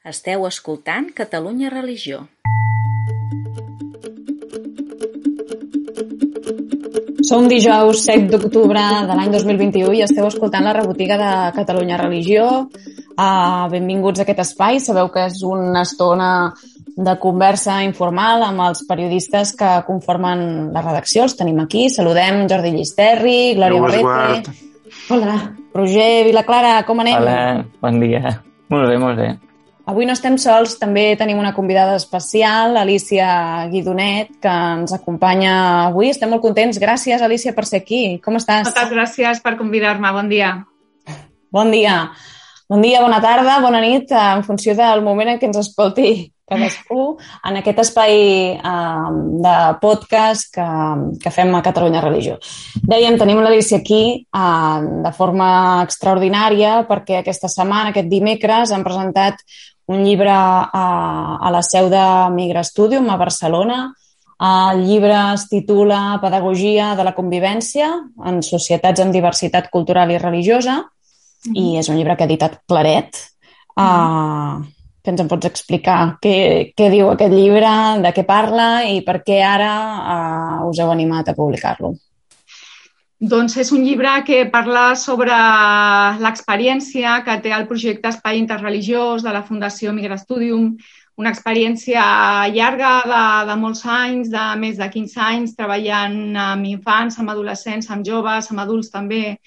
Esteu escoltant Catalunya Religió. Som dijous 7 d'octubre de l'any 2021 i esteu escoltant la rebotiga de Catalunya Religió. Benvinguts a aquest espai. Sabeu que és una estona de conversa informal amb els periodistes que conformen la redacció. Els tenim aquí. Saludem Jordi Llisterri, Glòria Barrete. Hola. Roger Vilaclara, com anem? Hola, bon dia. Molt bé, molt bé. Avui no estem sols, també tenim una convidada especial, Alícia Guidonet, que ens acompanya avui. Estem molt contents. Gràcies, Alícia, per ser aquí. Com estàs? Moltes gràcies per convidar-me. Bon dia. Bon dia. Bon dia, bona tarda, bona nit, en funció del moment en què ens escolti cadascú en aquest espai de podcast que fem a Catalunya Religió. Dèiem, tenim l'Alícia aquí de forma extraordinària perquè aquesta setmana, aquest dimecres, han presentat un llibre a la seu de Migra Studium a Barcelona. El llibre es titula Pedagogia de la convivència en societats amb diversitat cultural i religiosa i és un llibre que ha editat Claret. Que ens en pots explicar què diu aquest llibre, de què parla i per què ara us heu animat a publicar-lo? Doncs és un llibre que parla sobre l'experiència que té el projecte Espai Interreligiós de la Fundació Migra Studium, una experiència llarga de molts anys, de més de 15 anys, treballant amb infants, amb adolescents, amb joves, amb adults també,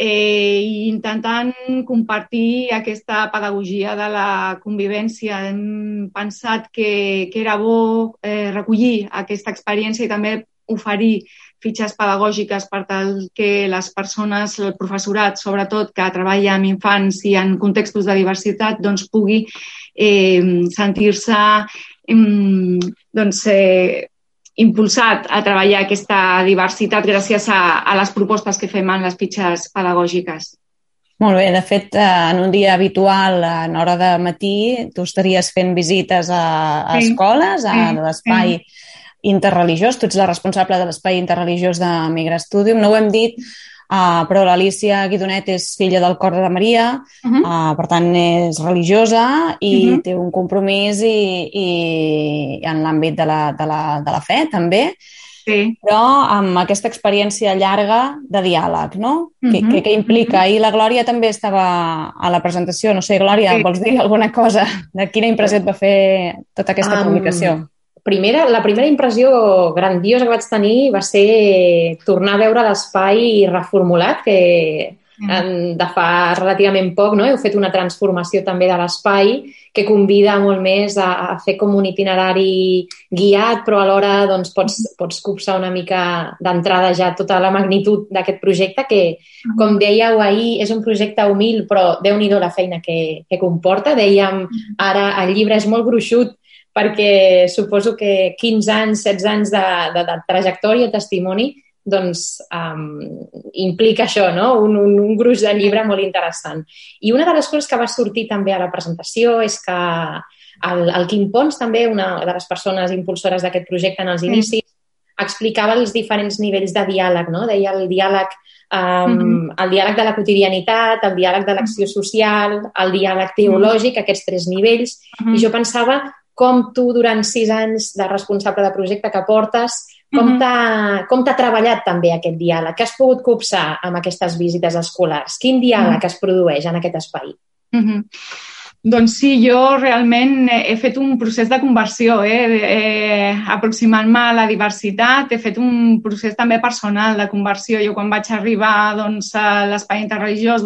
i intentant compartir aquesta pedagogia de la convivència. Hem pensat que era bo recollir aquesta experiència i també oferir fitxes pedagògiques per tal que les persones, el professorat, sobretot, que treballa amb infants i en contextos de diversitat, doncs pugui sentir-se impulsat a treballar aquesta diversitat gràcies a les propostes que fem en les fitxes pedagògiques. Molt bé, de fet, en un dia habitual, en hora de matí, tu estaries fent visites a escoles, a l'espai interreligiós. Tu ets la responsable de l'espai interreligiós de Migra Studium. No ho hem dit, però l'Alícia Guidonet és filla del Cor de Maria, per tant és religiosa i té un compromís i en l'àmbit de la fe també, però amb aquesta experiència llarga de diàleg, no? Què implica? I la Glòria també estava a la presentació. No sé, Glòria, vols dir alguna cosa de quina impressió et va fer tota aquesta publicació? La primera impressió grandiosa que vaig tenir va ser tornar a veure l'espai reformulat, que de fa relativament poc, no? Heu fet una transformació també de l'espai que convida molt més a fer com un itinerari guiat, però alhora doncs, pots copsar una mica d'entrada ja tota la magnitud d'aquest projecte que, com dèieu ahir, és un projecte humil, però Déu-n'hi-do la feina que comporta. Dèiem, ara el llibre és molt gruixut, perquè suposo que 15 anys, 16 anys de trajectòria, testimoni, doncs implica això, no? Un gruix de llibre molt interessant. I una de les coses que va sortir també a la presentació és que el Quim Pons, també una de les persones impulsores d'aquest projecte en els inicis, explicava els diferents nivells de diàleg, no? Deia el diàleg de la quotidianitat, el diàleg de l'acció social, el diàleg teològic, aquests 3 nivells, i jo pensava com tu, durant 6 anys de responsable de projecte que portes, com t'ha treballat també aquest diàleg? Què has pogut copsar amb aquestes visites escolars? Quin diàleg es produeix en aquest espai? Doncs sí, jo realment he fet un procés de conversió, aproximant-me a la diversitat. He fet un procés també personal de conversió. Jo quan vaig arribar a l'espai interreligiós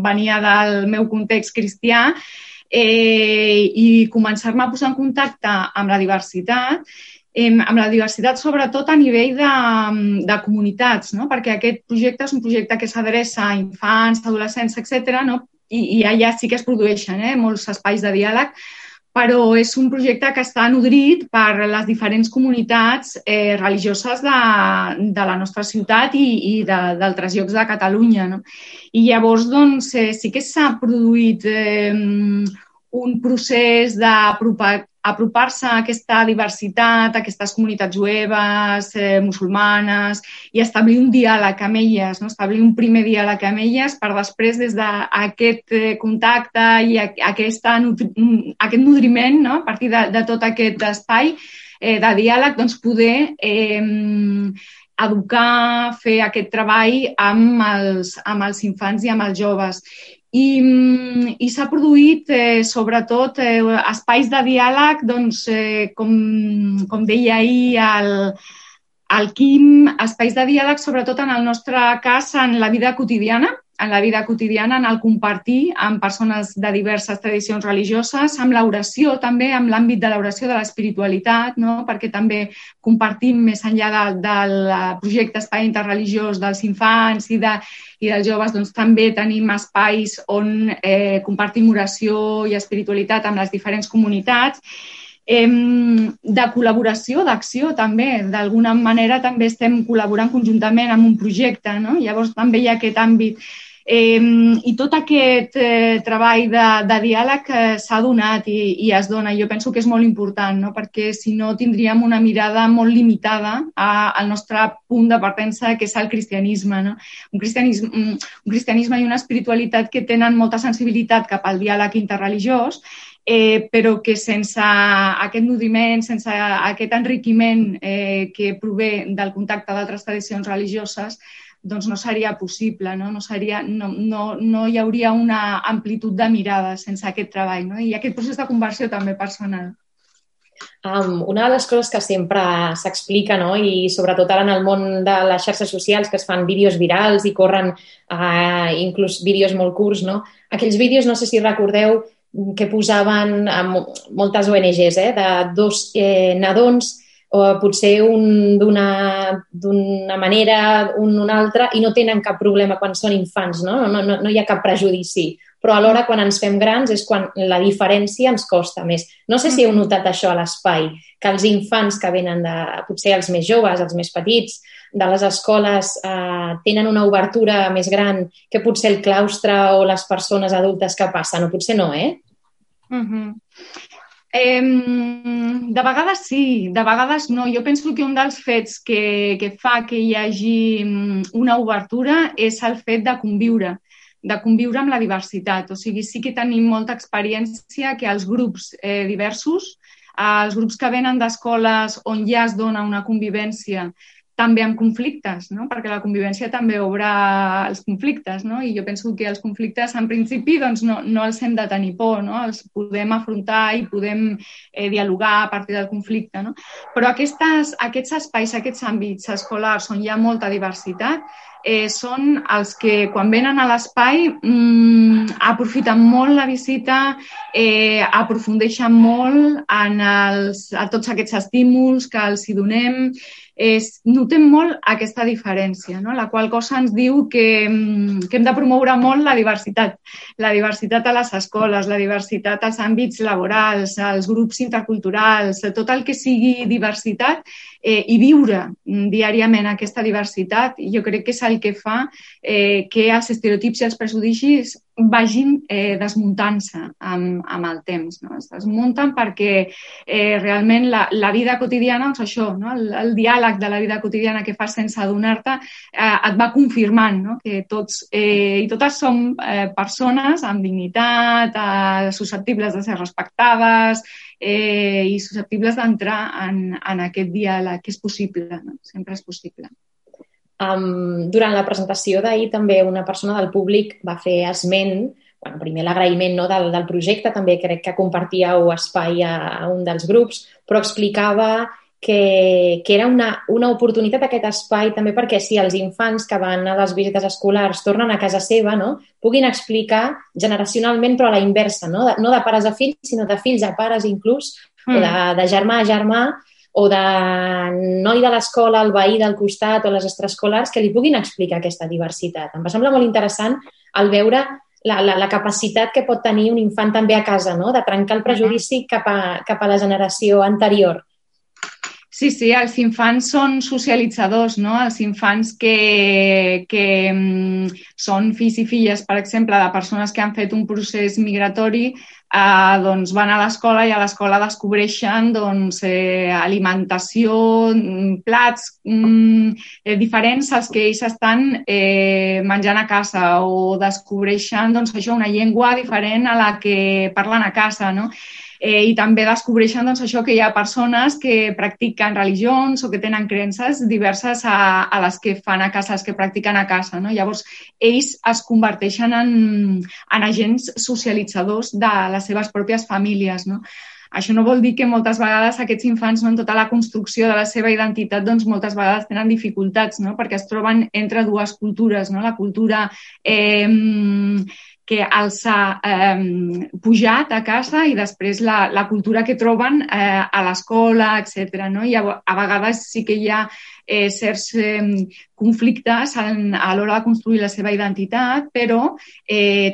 venia del meu context cristià, i començar-me a posar en contacte amb la diversitat sobretot a nivell de comunitats, no? Perquè aquest projecte és un projecte que s'adreça a infants, adolescents, etc., no? I allà sí que es produeixen molts espais de diàleg, però és un projecte que està nodrit per les diferents comunitats religioses de la nostra ciutat i d'altres llocs de Catalunya, no? I llavors sí que s'ha produït un procés apropar-se a aquesta diversitat, a aquestes comunitats jueves, musulmanes, i establir un diàleg amb elles, no? Establir un primer diàleg amb elles per després, des d'aquest contacte i aquest nodriment, no? A partir de tot aquest espai de diàleg, doncs poder educar, fer aquest treball amb els infants i amb els joves. I s'ha produït, sobretot, espais de diàleg, doncs, com deia ahir el Quim, espais de diàleg, sobretot en el nostre cas, en la vida quotidiana, en el compartir amb persones de diverses tradicions religioses, amb l'oració també, amb l'àmbit de l'oració, de l'espiritualitat, no? Perquè també compartim més enllà del projecte Espai Interreligiós dels infants i dels joves, doncs també tenim espais on compartim oració i espiritualitat amb les diferents comunitats. De col·laboració, d'acció també. D'alguna manera també estem col·laborant conjuntament amb un projecte, no? Llavors també hi ha aquest àmbit. I tot aquest treball de diàleg s'ha donat i es dona. Jo penso que és molt important, no? Perquè si no tindríem una mirada molt limitada al nostre punt de partença, que és el cristianisme, no? Un cristianisme i una espiritualitat que tenen molta sensibilitat cap al diàleg interreligiós, però que sense aquest nodriment, sense aquest enriquiment que prové del contacte d'altres tradicions religioses, doncs no seria possible, no? No hi hauria una amplitud de mirada sense aquest treball, no? I aquest procés de conversió també personal. Una de les coses que sempre s'explica, no? I sobretot ara en el món de les xarxes socials, que es fan vídeos virals i corren inclús vídeos molt curts, no? Aquells vídeos, no sé si recordeu, que posaven moltes ONGs, de dos nadons, o potser un d'una manera, un d'una altra, i no tenen cap problema quan són infants, no? No hi ha cap prejudici. Però alhora, quan ens fem grans, és quan la diferència ens costa més. No sé si heu notat això a l'espai, que els infants que venen potser els més joves, els més petits, de les escoles tenen una obertura més gran que potser el claustre o les persones adultes que passen, o potser no, De vegades sí, de vegades no. Jo penso que un dels fets que fa que hi hagi una obertura és el fet de conviure amb la diversitat. O sigui, sí que tenim molta experiència que els grups diversos, els grups que venen d'escoles on ja es dona una convivència, també amb conflictes, no? Perquè la convivència també obre els conflictes, no? I jo penso que els conflictes, en principi, doncs no els hem de tenir por, no? Els podem afrontar i podem dialogar a partir del conflicte, no? Però aquests espais, aquests àmbits escolars on hi ha molta diversitat, són els que, quan venen a l'espai, aprofiten molt la visita, aprofundeixen molt a tots aquests estímuls que els hi donem. Notem molt aquesta diferència, no? La qual cosa ens diu que hem de promoure molt la diversitat a les escoles, la diversitat als àmbits laborals, als grups interculturals, tot el que sigui diversitat, i viure diàriament aquesta diversitat. Jo crec que és el que fa que els estereotips i els prejudicis vagin desmuntant-se amb el temps, no? Es desmunten perquè realment la vida quotidiana, doncs això, no? El diàleg de la vida quotidiana que fas sense adonar-te et va confirmant, no? Que tots i totes som persones amb dignitat, susceptibles de ser respectades i susceptibles d'entrar en aquest diàleg, que és possible, no? Sempre és possible. Durant la presentació d'ahir també una persona del públic va fer esment, primer l'agraïment, no, del projecte, també crec que compartíeu espai a un dels grups, però explicava que era una oportunitat aquest espai també perquè si els infants que van a les visites escolars tornen a casa seva, no, puguin explicar generacionalment, però a la inversa, no de pares a fills, sinó de fills a pares inclús, o de germà a germà, o de noi de l'escola, el veí del costat o les extraescolars, que li puguin explicar aquesta diversitat. Em va semblar molt interessant el veure la capacitat que pot tenir un infant també a casa, no? De trencar el prejudici cap a la generació anterior. Sí, els infants són socialitzadors, no? Els infants que són fills i filles, per exemple, de persones que han fet un procés migratori, doncs van a l'escola i a l'escola descobreixen alimentació, plats diferents als que ells estan menjant a casa, o descobreixen una llengua diferent a la que parlen a casa, no? I també descobreixen que hi ha persones que practiquen religions o que tenen creences diverses a les que fan a casa, les que practiquen a casa, no? Llavors, ells es converteixen en agents socialitzadors de les seves pròpies famílies, no? Això no vol dir que moltes vegades aquests infants, no, en tota la construcció de la seva identitat, doncs moltes vegades tenen dificultats, no? Perquè es troben entre dues cultures, no? La cultura que els ha pujat a casa i després la cultura que troben a l'escola, etc. No? I a vegades sí que hi ha certs conflictes a l'hora de construir la seva identitat, però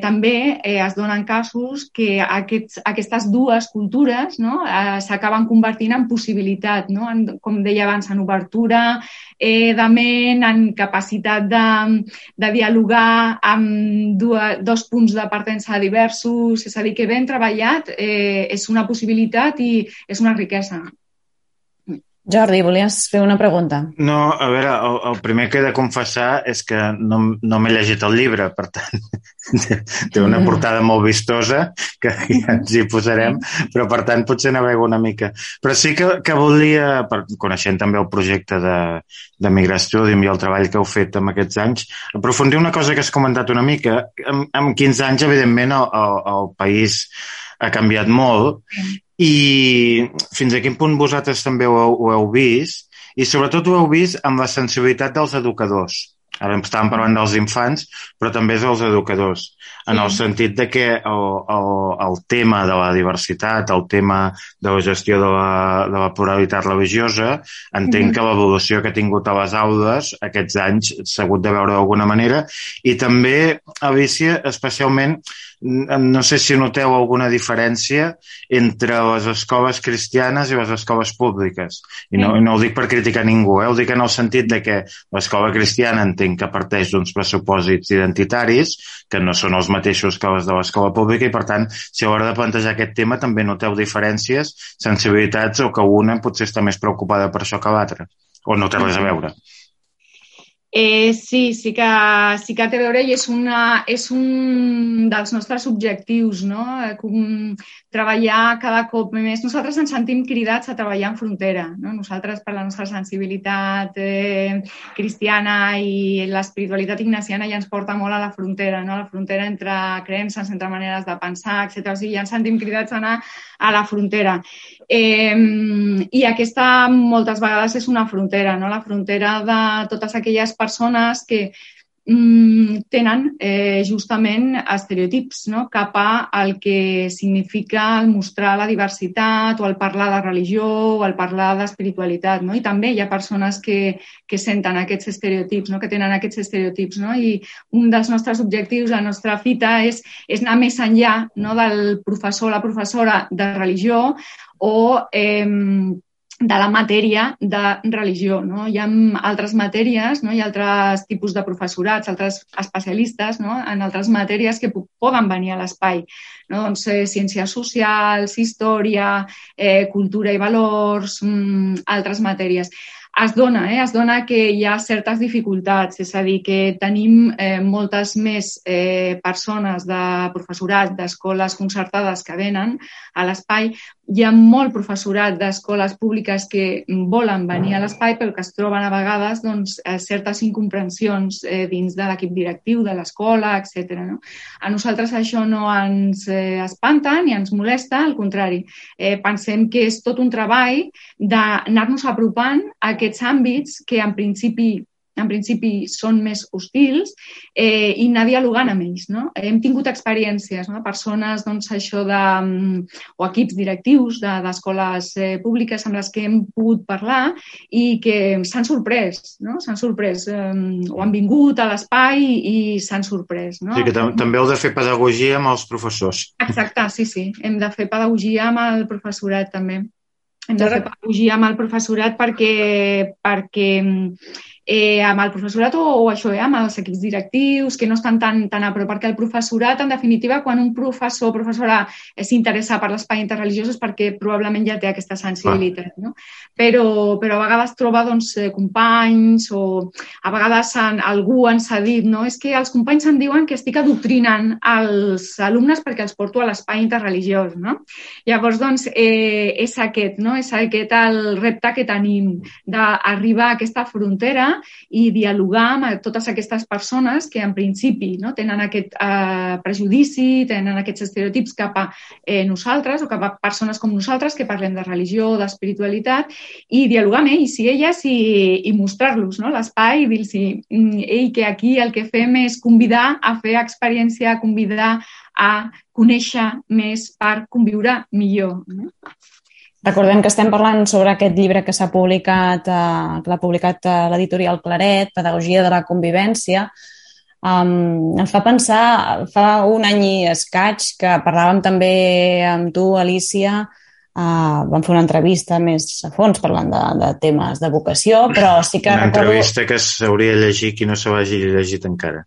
també es donen casos que aquestes dues cultures, no, s'acaben convertint en possibilitat, no? Com deia abans, en obertura de ment, en capacitat de dialogar amb dos punts de partença diversos, és a dir, que ben treballat és una possibilitat i és una riquesa. Jordi, volies fer una pregunta? No, a veure, el primer que he de confessar és que no m'he llegit el llibre, per tant, té una portada molt vistosa, que ja ens hi posarem, però per tant potser navego una mica. Però sí que volia, coneixent també el projecte de Migrastudium i el treball que heu fet en aquests anys, aprofundir una cosa que has comentat una mica. En 15 anys, evidentment, el país ha canviat molt, i fins a quin punt vosaltres també ho heu vist, i sobretot ho heu vist amb la sensibilitat dels educadors. Ara estàvem parlant dels infants, però també dels educadors, en el sentit de que el tema de la diversitat, el tema de la gestió de la pluralitat religiosa, entenc que l'evolució que ha tingut a les aules aquests anys s'ha hagut de veure d'alguna manera, i també, Alícia, especialment, no sé si noteu alguna diferència entre les escoles cristianes i les escoles públiques. I no ho dic per criticar ningú, ho dic en el sentit de que l'escola cristiana entenc que parteix d'uns pressupòsits identitaris que no són els mateixos que les de l'escola pública, i per tant, si a l'hora de plantejar aquest tema també noteu diferències, sensibilitats, o que una potser està més preocupada per això que l'altra, o no té res a veure. Sí que té a veure, i és un dels nostres objectius, no? Treballar cada cop més. Nosaltres ens sentim cridats a treballar en frontera, no? Nosaltres, per la nostra sensibilitat cristiana i l'espiritualitat ignaciana, ja ens porta molt a la frontera, no? A la frontera entre creences, entre maneres de pensar, etc. O sigui, ja ens sentim cridats a anar a la frontera. I aquesta moltes vegades és una frontera, no? La frontera de totes aquelles persones que tenen justament estereotips, no? Cap al que significa el mostrar la diversitat o el parlar de religió o el parlar d'espiritualitat, no? I també hi ha persones que senten aquests estereotips, no? Que tenen aquests estereotips, no? I un dels nostres objectius, la nostra fita, és anar més enllà, no? Del professor o la professora de religió o de la matèria de religió, no? Hi ha altres matèries, no? Hi ha altres tipus de professorats, altres especialistes, no? En altres matèries que poden venir a l'espai, no? Doncs ciències socials, història, cultura i valors, altres matèries. Es dona que hi ha certes dificultats, és a dir, que tenim moltes més persones de professorat d'escoles concertades que venen a l'espai. Hi ha molt professorat d'escoles públiques que volen venir a l'espai, però que es troben a vegades certes incomprensions dins de l'equip directiu de l'escola, etc. No? A nosaltres això no ens espanta ni ens molesta, al contrari. Pensem que és tot un treball d'anar-nos apropant a aquests àmbits que en principi són més hostils i anar dialogant amb ells, no? Hem tingut experiències, no? Persones o equips directius d'escoles públiques amb les que hem pogut parlar i que s'han sorprès, no? S'han sorprès, o han vingut a l'espai i s'han sorprès, no? Sí, que també heu de fer pedagogia amb els professors. Exacte, sí. Hem de fer pedagogia amb el professorat també. Hem de fer pedagogia amb el professorat perquè amb el professorat o això, amb els equips directius, que no estan tan a prop, perquè el professorat, en definitiva, quan un professor o professora s'interessa per l'espai interreligiós és perquè probablement ja té aquesta sensibilitat, no? Però a vegades troba companys o a vegades algú ens ha dit, no? És que els companys em diuen que estic adoctrinant els alumnes perquè els porto a l'espai interreligiós, no? Llavors, és aquest, no? És aquest el repte que tenim d'arribar a aquesta frontera i dialogar amb totes aquestes persones que en principi tenen aquest prejudici, tenen aquests estereotips cap a nosaltres o cap a persones com nosaltres que parlem de religió, d'espiritualitat, i dialogar amb ells i elles i mostrar-los l'espai i dir-los que aquí el que fem és convidar a fer experiència, convidar a conèixer més per conviure millor. Recordem que estem parlant sobre aquest llibre que s'ha publicat, que l'ha publicat l'editorial Claret, Pedagogia de la convivència. Em fa pensar, fa un any i escaig, que parlàvem també amb tu, Alicia, vam fer una entrevista més a fons parlant de temes de vocació, però sí que una entrevista que s'hauria de llegir qui no se l'hagi llegit encara.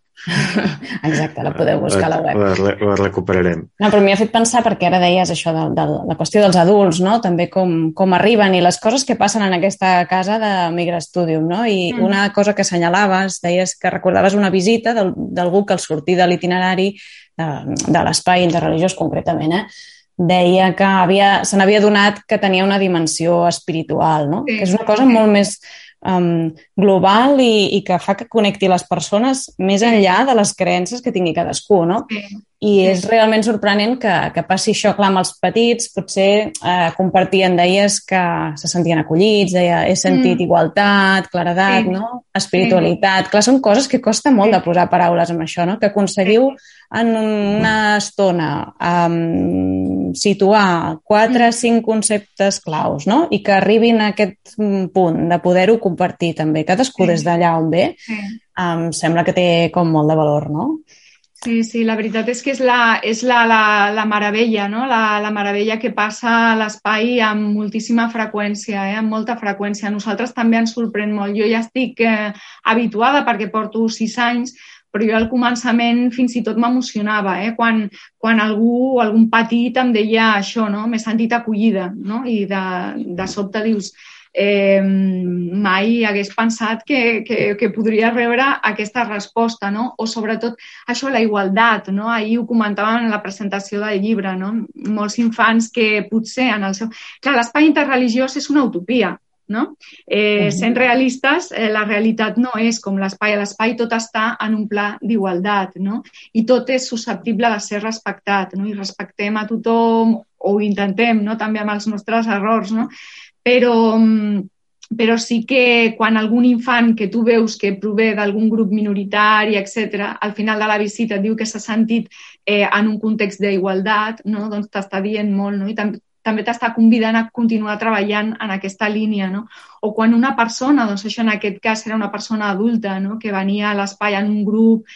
Exacte, la podeu buscar a la web. La recuperarem. No, però m'hi ha fet pensar perquè ara deies això de la qüestió dels adults, no? També com arriben i les coses que passen en aquesta casa de Migrastudium, no? I una cosa que assenyalaves, deies que recordaves una visita d'algú que al sortir de l'itinerari de l'espai interreligiós concretament, deia que se n'havia adonat que tenia una dimensió espiritual, no? Que és una cosa molt més global i que fa que connecti les persones més enllà de les creences que tingui cadascú, no? I és realment sorprenent que passi això, clar, amb els petits, potser compartien, deies que se sentien acollits, deia, he sentit igualtat, claredat, no? Espiritualitat. Clar, són coses que costa molt de posar paraules amb això, no? Que aconseguiu en una estona situar 4 o 5 conceptes claus, no? I que arribin a aquest punt de poder-ho compartir també, cadascú des d'allà on ve, em sembla que té com molt de valor, no? Sí, la veritat és que és la meravella, no? La meravella que passa a l'espai amb moltíssima freqüència, amb molta freqüència. A nosaltres també ens sorprèn molt. Jo ja estic habituada perquè porto 6 anys, però jo al començament fins i tot m'emocionava, quan algun petit em deia això, no? M'he sentit acollida, no? I de sobte dius, mai hagués pensat que podria rebre aquesta resposta, no? O sobretot això, la igualtat, no? Ahir ho comentàvem en la presentació del llibre, no? Molts infants que potser en el seu... Clar, l'espai interreligiós és una utopia, no? Sent realistes, la realitat no és com l'espai. A l'espai tot està en un pla d'igualtat, no? I tot és susceptible de ser respectat, no? I respectem a tothom, o ho intentem, no? També amb els nostres errors, no? Però sí que quan algun infant que tu veus que prové d'algun grup minoritari, etc., al final de la visita diu que s'ha sentit en un context d'igualtat, no? Doncs t'està dient molt, no? I també t'està convidant a continuar treballant en aquesta línia, no? O quan una persona, doncs això en aquest cas era una persona adulta, no? Que venia a l'espai en un grup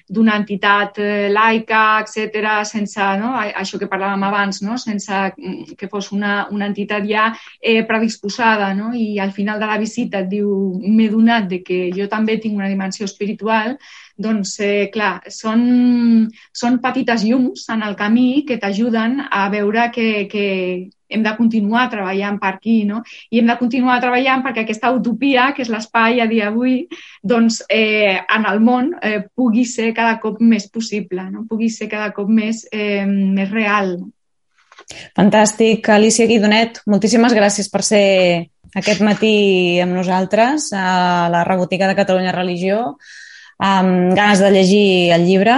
d'una entitat laica, etc., sense, no? Això que parlàvem abans, no? Sense que fos una entitat ja predisposada, no? I al final de la visita et diu, m'he donat de que jo també tinc una dimensió espiritual. Doncs, clar, són petites llums en el camí que t'ajuden a veure que hem de continuar treballant per aquí, no? I hem de continuar treballant perquè aquesta utopia, que és l'espai a dia d'avui, doncs en el món pugui ser cada cop més possible, no? Pugui ser cada cop més real. Fantàstic. Alicia Guidonet, moltíssimes gràcies per ser aquest matí amb nosaltres a la Rebotiga de Catalunya Religió. Amb ganes de llegir el llibre.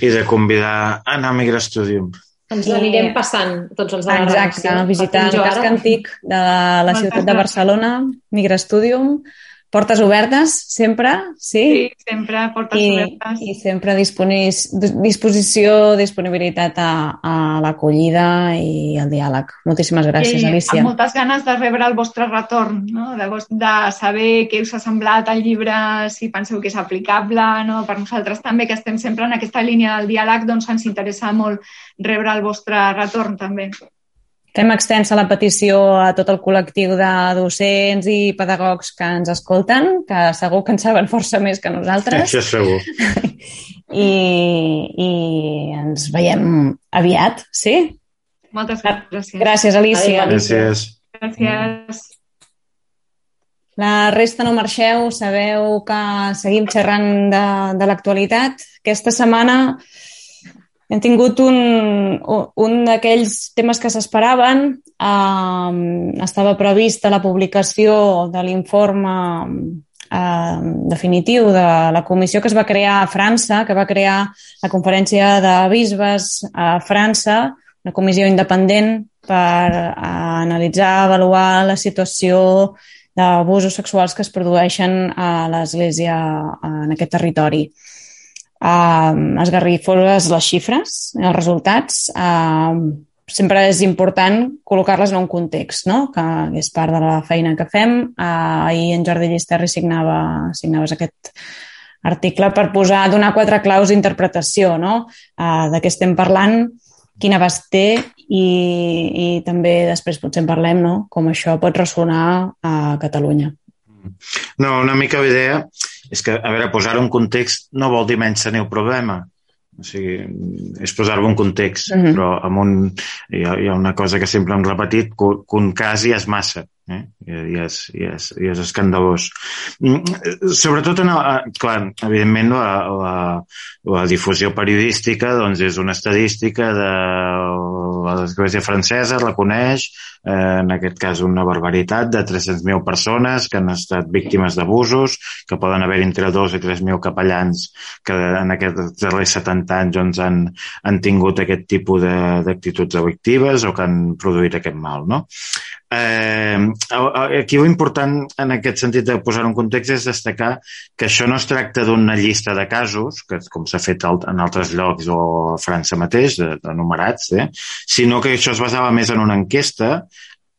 I de convidar a anar a Migrastudium. Ens anirem passant tots els de la redacció. Exacte, visitar el casc antic de la ciutat de Barcelona, Migrastudium. Portes obertes, sempre, sí? Sí, sempre, portes obertes. I sempre disponibilitat a l'acollida i al diàleg. Moltíssimes gràcies, Alicia. Amb moltes ganes de rebre el vostre retorn, no? De saber què us ha semblat el llibre, si penseu que és aplicable, no? Per nosaltres també, que estem sempre en aquesta línia del diàleg, doncs ens interessa molt rebre el vostre retorn, també. Fem extensa la petició a tot el col·lectiu de docents i pedagogs que ens escolten, que segur que en saben força més que nosaltres. Això segur. I ens veiem aviat, sí? Moltes gràcies. Gràcies, Alicia. Gràcies. Gràcies. La resta no marxeu, sabeu que seguim xerrant de l'actualitat. Aquesta setmana hem tingut un d'aquells temes que s'esperaven. Estava prevista la publicació de l'informe definitiu de la comissió que es va crear a França, que va crear la Conferència de Bisbes a França, una comissió independent per analitzar, avaluar la situació d'abusos sexuals que es produeixen a l'Església en aquest territori. Esgarrifoses les xifres, els resultats. Sempre és important col·locar-les en un context, no? Que és part de la feina que fem. Ahir en Jordi Llisterri signaves aquest article per donar 4 claus d'interpretació, no? De què estem parlant, quin abast té i també després potser en parlem, no? Com això pot ressonar a Catalunya. No, una mica la idea és que, a veure, posar-ho en context no vol dir menys tenir el problema. O sigui, és posar-ho en context, però hi ha una cosa que sempre hem repetit, que un cas ja és massa. I és escandalós. Sobretot, clar, evidentment, la difusió periodística doncs, és una estadística de l'Església francesa, reconeix, en aquest cas, una barbaritat de 300.000 persones que han estat víctimes d'abusos, que poden haver entre 2 i 3.000 capellans que en aquests darrers 70 anys doncs, han tingut aquest tipus d'actituds delictives o que han produït aquest mal, no? Aquí l'important en aquest sentit de posar un context és destacar que això no es tracta d'una llista de casos, que com s'ha fet en altres llocs o a França mateix, enumerats, sinó que això es basava més en una enquesta.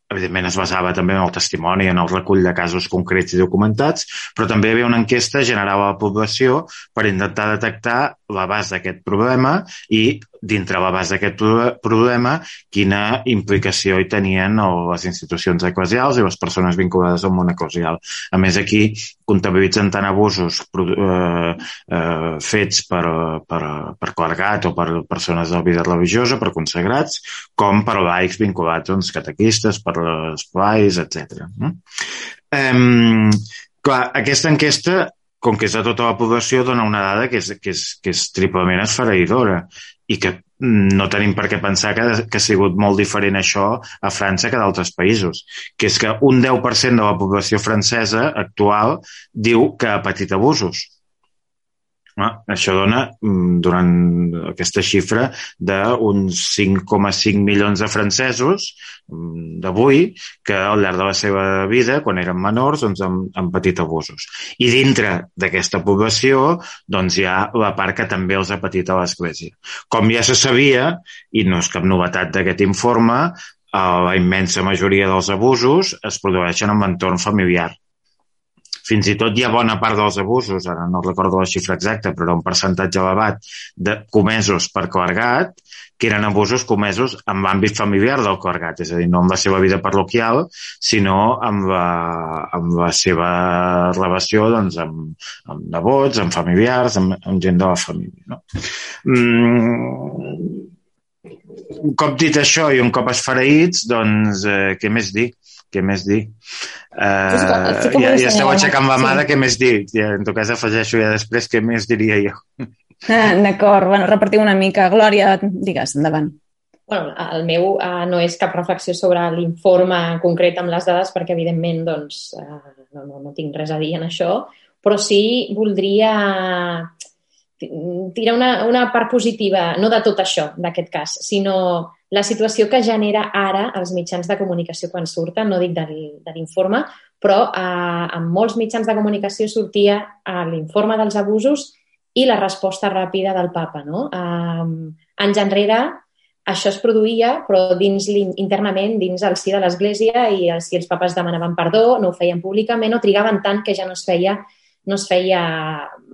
Evidentment es basava també en el testimoni, en el recull de casos concrets i documentats, però també hi havia una enquesta general a la població per intentar detectar l'abast d'aquest problema i, dintre l'abast d'aquest problema, quina implicació hi tenien les institucions eclesials i les persones vinculades al món eclesial. A més, aquí comptabilitzen tant abusos fets per clergat o per persones de la vida religiosa, per consagrats, com per laics vinculats als catequistes, per les plais, etc. Clar, aquesta enquesta, com que és de tota la població, dona una dada que és triplement esfereïdora i que no tenim per què pensar que ha sigut molt diferent això a França que d'altres països, que és que un 10% de la població francesa actual diu que ha patit abusos. Això dona, durant aquesta xifra, d'uns 5,5 milions de francesos d'avui que al llarg de la seva vida, quan eren menors, doncs han patit abusos. I dintre d'aquesta població doncs hi ha la part que també els ha patit a l'Església. Com ja se sabia, i no és cap novetat d'aquest informe, la immensa majoria dels abusos es produeixen en l'entorn familiar. Fins i tot hi ha bona part dels abusos, ara no recordo la xifra exacta, però un percentatge elevat comesos per clergat, que eren abusos comesos en l'àmbit familiar del clergat, és a dir, no en la seva vida parroquial, sinó amb la seva relació doncs, amb nebots, amb familiars, amb gent de la família. No? Un cop dit això i un cop esfereïts, doncs què més dir? Què més dir? Ja esteu aixecant la mà de què més dir. En tot cas, afegeixo ja després què més diria jo. D'acord, bueno, repartim una mica. Glòria, digues, endavant. Bueno, el meu no és cap reflexió sobre l'informe concret amb les dades, perquè evidentment doncs, no tinc res a dir en això, però sí voldria tirar una part positiva, no de tot això, d'aquest cas, sinó la situació que genera ara els mitjans de comunicació quan surten, no dic de l'informe, però en molts mitjans de comunicació sortia l'informe dels abusos i la resposta ràpida del papa. No? Anys enrere això es produïa, però internament, dins el si de l'Església, i si els papes demanaven perdó, no ho feien públicament, o trigaven tant que ja no es feia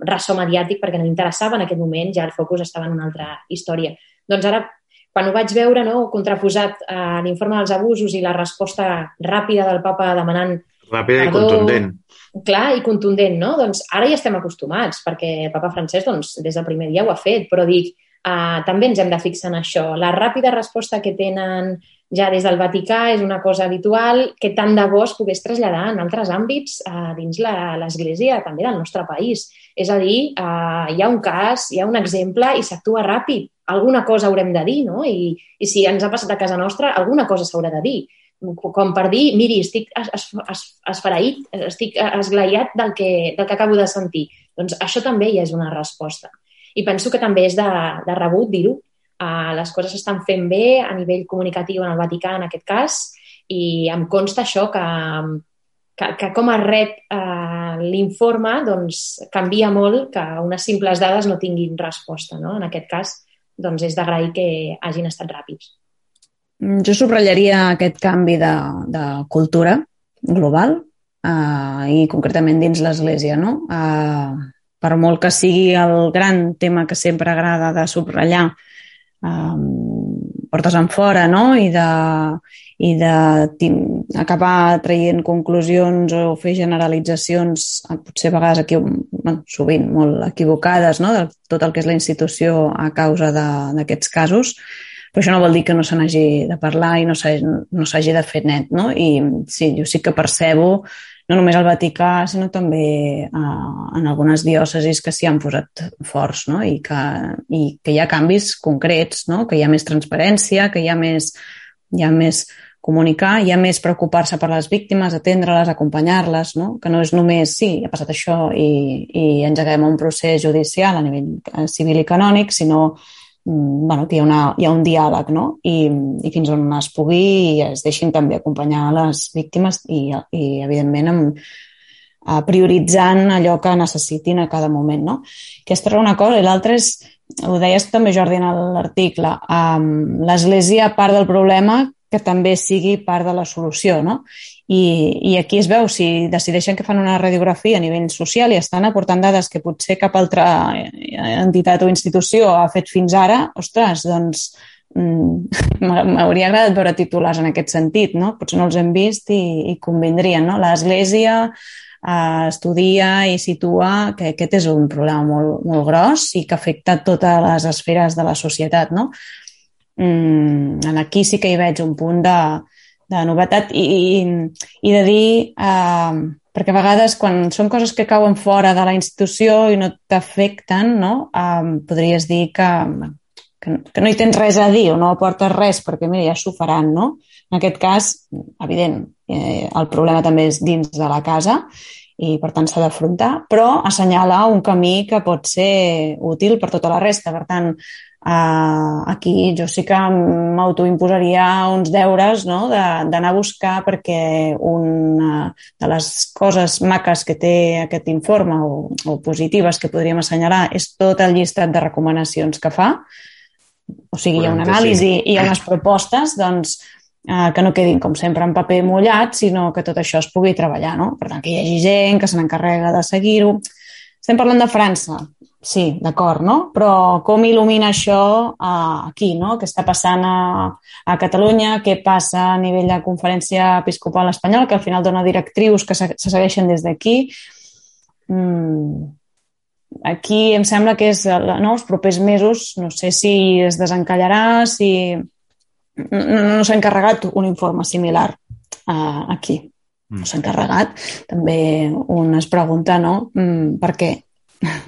ressò mediàtic perquè no interessava en aquest moment, ja el focus estava en una altra història. Doncs ara, quan ho vaig veure, no, contraposat a l'informe dels abusos i la resposta ràpida del papa demanant Ràpida i perdó, contundent. clar i contundent, no? Doncs ara ja estem acostumats, perquè el papa Francesc doncs, des del primer dia ho ha fet, però dic, també ens hem de fixar en això. La ràpida resposta que tenen ja des del Vaticà és una cosa habitual que tant de bo es pogués traslladar en altres àmbits dins l'Església, també del nostre país. És a dir, hi ha un cas, hi ha un exemple i s'actua ràpid. Alguna cosa haurem de dir, no? I si ens ha passat a casa nostra, alguna cosa s'haurà de dir. Com per dir, miri, estic esfereït, estic esglaiat del que acabo de sentir. Doncs això també ja és una resposta. I penso que també és de rebut dir-ho. Les coses s'estan fent bé a nivell comunicatiu en el Vaticà, en aquest cas, i em consta això que com es rep l'informe doncs, canvia molt que unes simples dades no tinguin resposta. No? En aquest cas, doncs, és d'agrair que hagin estat ràpids. Jo subratllaria aquest canvi de cultura global i concretament dins l'Església, no? Per molt que sigui el gran tema que sempre agrada de subratllar portes en fora, no? I d'acabar traient conclusions o fer generalitzacions potser a vegades sovint molt equivocades, no? De tot el que és la institució a causa d'aquests casos, però això no vol dir que no se n'hagi de parlar i no s'hagi de fer net, no? I sí, jo sí que percebo no només al Vaticà, sinó també en algunes diòcesis que s'hi han posat forts, no? I que hi ha canvis concrets, no? Que hi ha més transparència, que hi ha més comunicar, hi ha més preocupar-se per les víctimes, atendre-les, acompanyar-les, no? Que no és només, sí, ha passat això i engeguem un procés judicial a nivell civil i canònic, sinó que hi ha un diàleg, no? I fins on es pugui i es deixin també acompanyar les víctimes i evidentment, prioritzant allò que necessitin a cada moment, no? Aquesta és una cosa. I l'altra és, ho deies també, Jordi, en l'article, l'Església, a part del problema, que també sigui part de la solució, no? I aquí es veu, si decideixen que fan una radiografia a nivell social i estan aportant dades que potser cap altra entitat o institució ha fet fins ara, ostres, doncs m'hauria agradat veure titulars en aquest sentit, no? Potser no els hem vist i convindrien, no? L'Església estudia i situa que aquest és un problema molt, molt gros i que afecta totes les esferes de la societat, no? Aquí sí que hi veig un punt de novetat i de dir, perquè a vegades quan són coses que cauen fora de la institució i no t'afecten, no? Podries dir que no hi tens res a dir o no aportes res perquè mira, ja s'ho faran, no? En aquest cas, evident, el problema també és dins de la casa i per tant s'ha d'afrontar, però assenyalar un camí que pot ser útil per tota la resta. Per tant, aquí jo sí que m'autoimposaria uns deures, no? D'anar a buscar, perquè una de les coses maques que té aquest informe o positives que podríem assenyalar és tot el llistat de recomanacions que fa. O sigui, hi ha una anàlisi i hi ha unes propostes, doncs, que no quedin, com sempre, en paper mullat, sinó que tot això es pugui treballar, no? Per tant, que hi hagi gent que se n'encarrega de seguir-ho. Estem parlant de França, sí, d'acord, no? Però com il·lumina això aquí, no? Què està passant a Catalunya, què passa a nivell de Conferència Episcopal Espanyola, que al final dona directrius que se segueixen des d'aquí. Aquí em sembla que és, no, els propers mesos, no sé si es desencallarà, si no s'ha encarregat un informe similar aquí. No s'ha encarregat. També un es pregunta, no? Per què?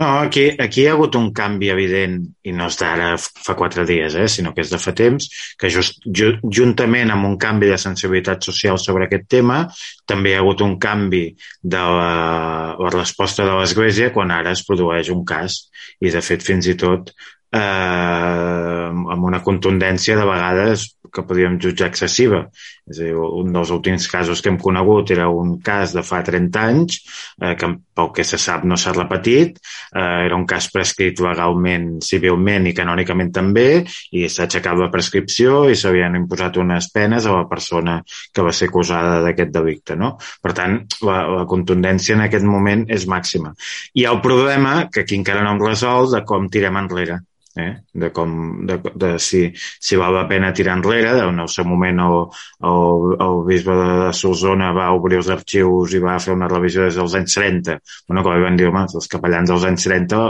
No, aquí hi ha hagut un canvi evident, i no és d'ara fa 4 dies, sinó que és de fa temps, que juntament amb un canvi de sensibilitat social sobre aquest tema, també hi ha hagut un canvi de la resposta de l'Església quan ara es produeix un cas, i de fet fins i tot amb una contundència de vegades que podríem jutjar excessiva. És a dir, un dels últims casos que hem conegut era un cas de fa 30 anys, que pel que se sap no s'ha repetit, era un cas prescrit legalment, civilment i canònicament també, i s'ha aixecat la prescripció i s'havien imposat unes penes a la persona que va ser acusada d'aquest delicte, no? Per tant, la contundència en aquest moment és màxima. Hi ha el problema, que aquí encara no hem resolt, de com tirem enrere. de si val la pena tirar enrere. En el seu moment el bisbe de Solsona va obrir els arxius i va fer una revisió des dels anys 30. Bueno, com van dir, home, els capellans dels anys 30,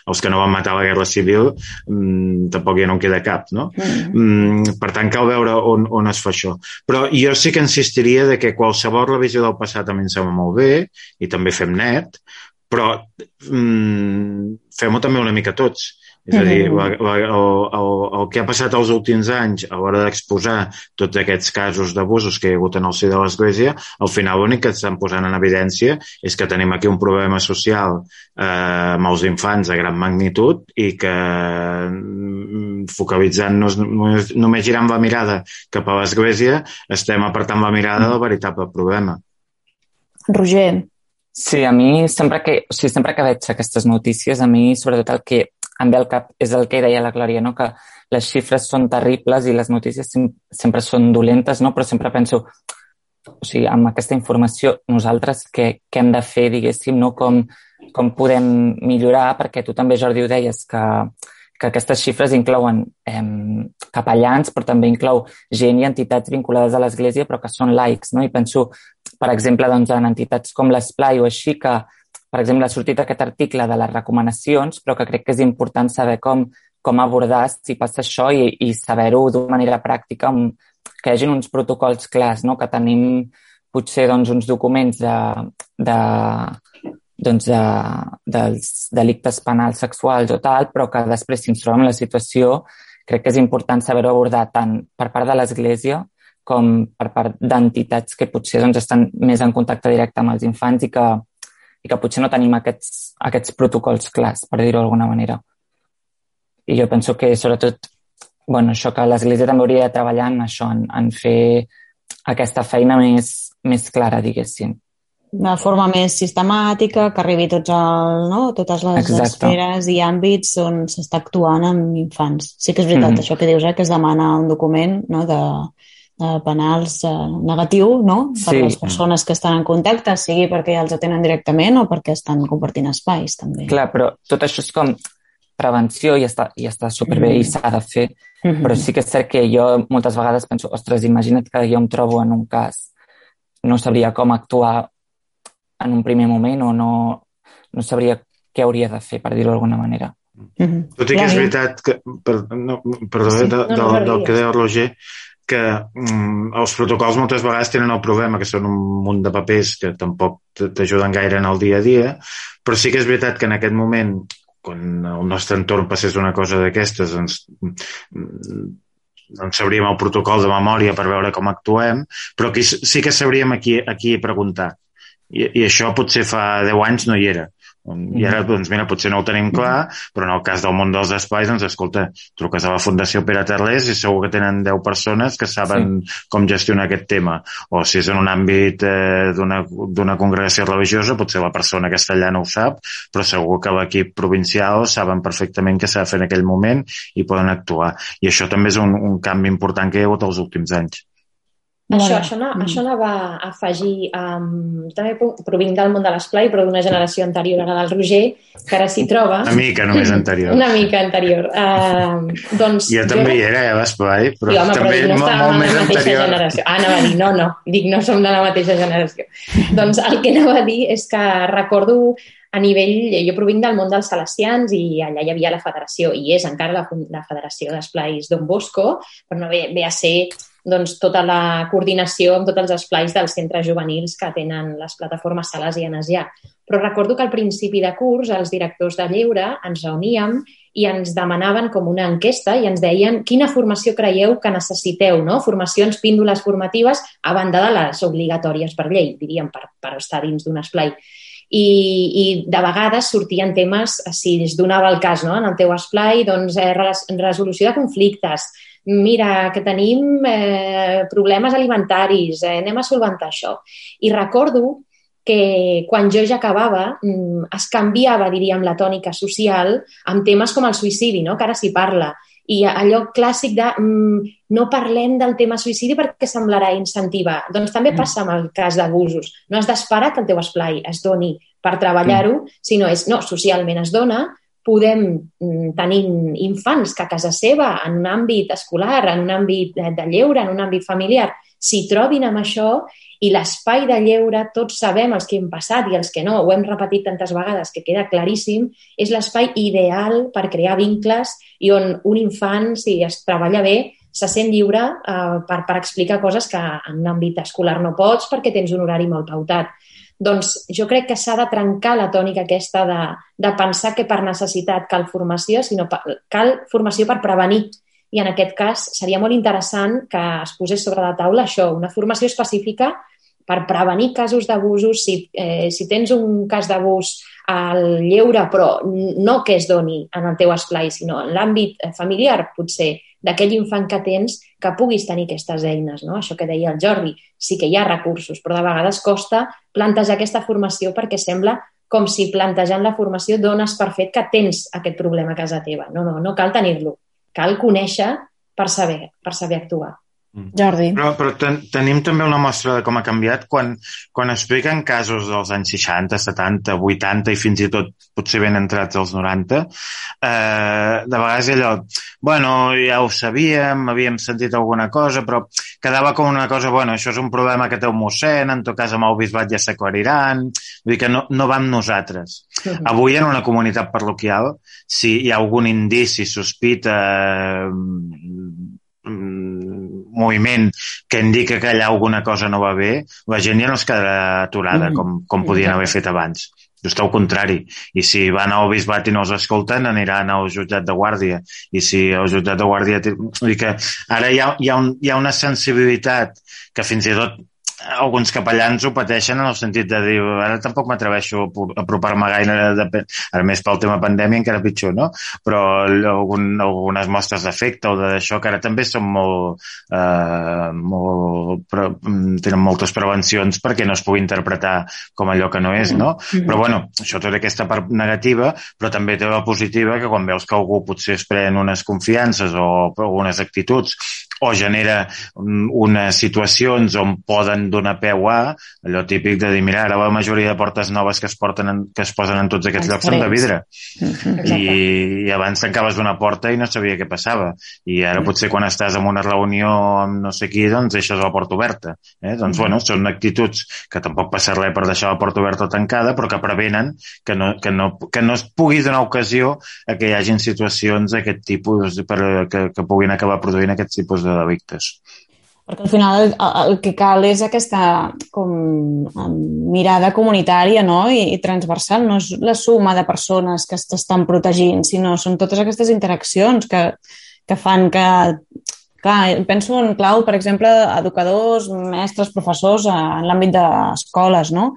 els que no van matar a la Guerra Civil, tampoc ja no en queda cap, no? Per tant, cal veure on es fa això. Però jo sí que insistiria de que qualsevol revisió del passat a mi em sembla molt bé, i també fem net, però fem-ho també una mica tots. És a dir, el que ha passat els últims anys a l'hora d'exposar tots aquests casos d'abusos que hi ha hagut en el si de l'Església, al final l'únic que estan posant en evidència és que tenim aquí un problema social amb els infants de gran magnitud i que focalitzant-nos, només girant la mirada cap a l'Església, estem apartant la mirada del veritable problema. Roger. Sí, a mi sempre que veig aquestes notícies, a mi sobretot el que em ve al cap és el que deia la Glòria, no? Que les xifres són terribles i les notícies sempre són dolentes, no? Però sempre penso, o sigui, amb aquesta informació, nosaltres què hem de fer, diguéssim, no? Com podem millorar, perquè tu també, Jordi, ho deies, que aquestes xifres inclouen capellans, però també inclou gent i entitats vinculades a l'Església, però que són laics, no? I penso, per exemple, doncs, en entitats com l'Esplai o així, que per exemple, ha sortit aquest article de les recomanacions, però que crec que és important saber com abordar si passa això i saber-ho d'una manera pràctica, que hi hagi uns protocols clars, no? Que tenim potser doncs, uns documents dels delictes penals sexuals o tal, però que després, si ens trobem en la situació, crec que és important saber-ho abordar tant per part de l'Església com per part d'entitats que potser doncs, estan més en contacte directe amb els infants i que potser no tenim aquests protocols clars, per dir-ho d'alguna manera. I jo penso que, sobretot, això que l'Església també hauria de treballar en això, en fer aquesta feina més clara, diguéssim. De forma més sistemàtica, que arribi totes les esferes i àmbits on s'està actuant amb infants. Sí que és veritat, això que dius, que es demana un document, no?, de penals negatiu, no?, per les persones que estan en contacte, sigui perquè ja els atenen directament o perquè estan compartint espais, també. Clar, però tot això és com prevenció i està superbé i s'ha de fer, però sí que és cert que jo moltes vegades penso, ostres, imagina't que jo em trobo en un cas, no sabria com actuar en un primer moment o no sabria què hauria de fer, per dir-ho d'alguna manera. Tot i que és veritat que, del que deia Roger, que els protocols moltes vegades tenen el problema que són un munt de papers que tampoc t'ajuden gaire en el dia a dia, però sí que és veritat que en aquest moment, quan el nostre entorn passés una cosa d'aquestes, doncs sabríem el protocol de memòria per veure com actuem, però aquí sí que sabríem a qui preguntar. I això potser fa 10 anys no hi era. I ara, doncs mira, potser no ho tenim clar, però en el cas del món dels espais, doncs escolta, truques a la Fundació Pere Tarlés i segur que tenen 10 persones que saben com gestionar aquest tema. O si és en un àmbit d'una congregació religiosa, potser la persona castellana ho sap, però segur que l'equip provincial saben perfectament què s'ha de fer en aquell moment i poden actuar. I això també és un canvi important que hi ha hagut els últims anys. Això anava a afegir, també provinc del món de l'esplai, però d'una generació anterior a la del Roger, que ara s'hi troba. Una mica només anterior. Una mica anterior. Jo també hi era, a l'esplai, però també molt més anterior. Anava a dir, no, dic, no som de la mateixa generació. Doncs el que anava a dir és que recordo a nivell, jo provinc del món dels salesians i allà hi havia la federació, i és encara la Federació d'Esplais Don Bosco, però no ve a ser doncs, tota la coordinació amb tots els esplais dels centres juvenils que tenen les plataformes salesianes ja. Però recordo que al principi de curs els directors de lleure ens reuníem i ens demanaven com una enquesta i ens deien quina formació creieu que necessiteu, no? Formacions, píndoles formatives, a banda de les obligatòries per llei, diríem, per estar dins d'un esplai. I de vegades sortien temes, si es donava el cas, no? En el teu esplai, doncs, resolució de conflictes, mira, que tenim problemes alimentaris, anem a solventar això. I recordo que quan jo ja acabava es canviava, diríem, la tònica social amb temes com el suïcidi, no? Que ara s'hi parla. I allò clàssic de no parlem del tema suïcidi perquè semblarà incentivar. Doncs també passa amb el cas d'abusos. No has d'esperar que el teu esplai es doni per treballar-ho, sinó socialment es dona, podem tenir infants que a casa seva, en un àmbit escolar, en un àmbit de lleure, en un àmbit familiar, s'hi trobin amb això i l'espai de lleure, tots sabem els que hem passat i els que no, ho hem repetit tantes vegades que queda claríssim, és l'espai ideal per crear vincles i on un infant, si es treballa bé, se sent lliure per explicar coses que en l'àmbit escolar no pots perquè tens un horari molt pautat. Doncs jo crec que s'ha de trencar la tònica aquesta de pensar que per necessitat cal formació, sinó cal formació per prevenir. I en aquest cas seria molt interessant que es posés sobre la taula això, una formació específica per prevenir casos d'abusos. Si tens un cas d'abús al lleure, però no que es doni en el teu esplai, sinó en l'àmbit familiar, potser, d'aquell infant que tens, que puguis tenir aquestes eines, no? Això que deia el Jordi, sí que hi ha recursos, però de vegades costa plantejar aquesta formació perquè sembla com si plantejant la formació dones per fet que tens aquest problema a casa teva. No cal tenir-lo, cal conèixer per saber actuar. Jordi. Però tenim també una mostra de com ha canviat quan expliquen casos dels anys 60, 70, 80 i fins i tot potser ben entrats als 90. De vegades allò, bueno, ja ho sabíem, havíem sentit alguna cosa, però quedava com una cosa, bueno, això és un problema que té un mossèn, en tot cas amb el bisbat ja s'aclariran, vull dir que no va amb nosaltres. Avui en una comunitat parroquial, si hi ha algun indici, sospita, moviment que indica que allà alguna cosa no va bé, la gent ja no es quedarà aturada com podien haver fet abans. Just al contrari. I si van al bisbat i no els escolten, aniran al jutjat de guàrdia. I si el jutjat de guàrdia... Vull dir que ara hi ha una sensibilitat que fins i tot alguns capellans ho pateixen en el sentit de dir ara tampoc m'atreveixo a apropar-me gaire, ara més pel tema pandèmia encara pitjor, no? Però algunes mostres d'afecte o d'això que ara també són tenen moltes prevencions perquè no es pugui interpretar com allò que no és, no? Però bueno, això té aquesta part negativa, però també té la positiva que quan veus que algú potser es pren unes confiances o algunes actituds o genera unes situacions on poden donar peu a allò típic de dir, mira, ara la majoria de portes noves que es posen en tots aquests llocs són de vidre. I abans tancaves una porta i no sabia què passava. I ara potser quan estàs en una reunió amb no sé qui, doncs deixes la porta oberta. Doncs, bueno, són actituds que tampoc passa res per deixar la porta oberta o tancada, però que prevenen que no es pugui donar ocasió a que hi hagin situacions d'aquest tipus que puguin acabar produint aquest tipus de delictes. Perquè al final el que cal és aquesta com mirada comunitària, no? I transversal, no és la suma de persones que t'estan protegint, sinó són totes aquestes interaccions que fan que... Clar, penso en clau, per exemple, educadors, mestres, professors en l'àmbit d'escoles, no?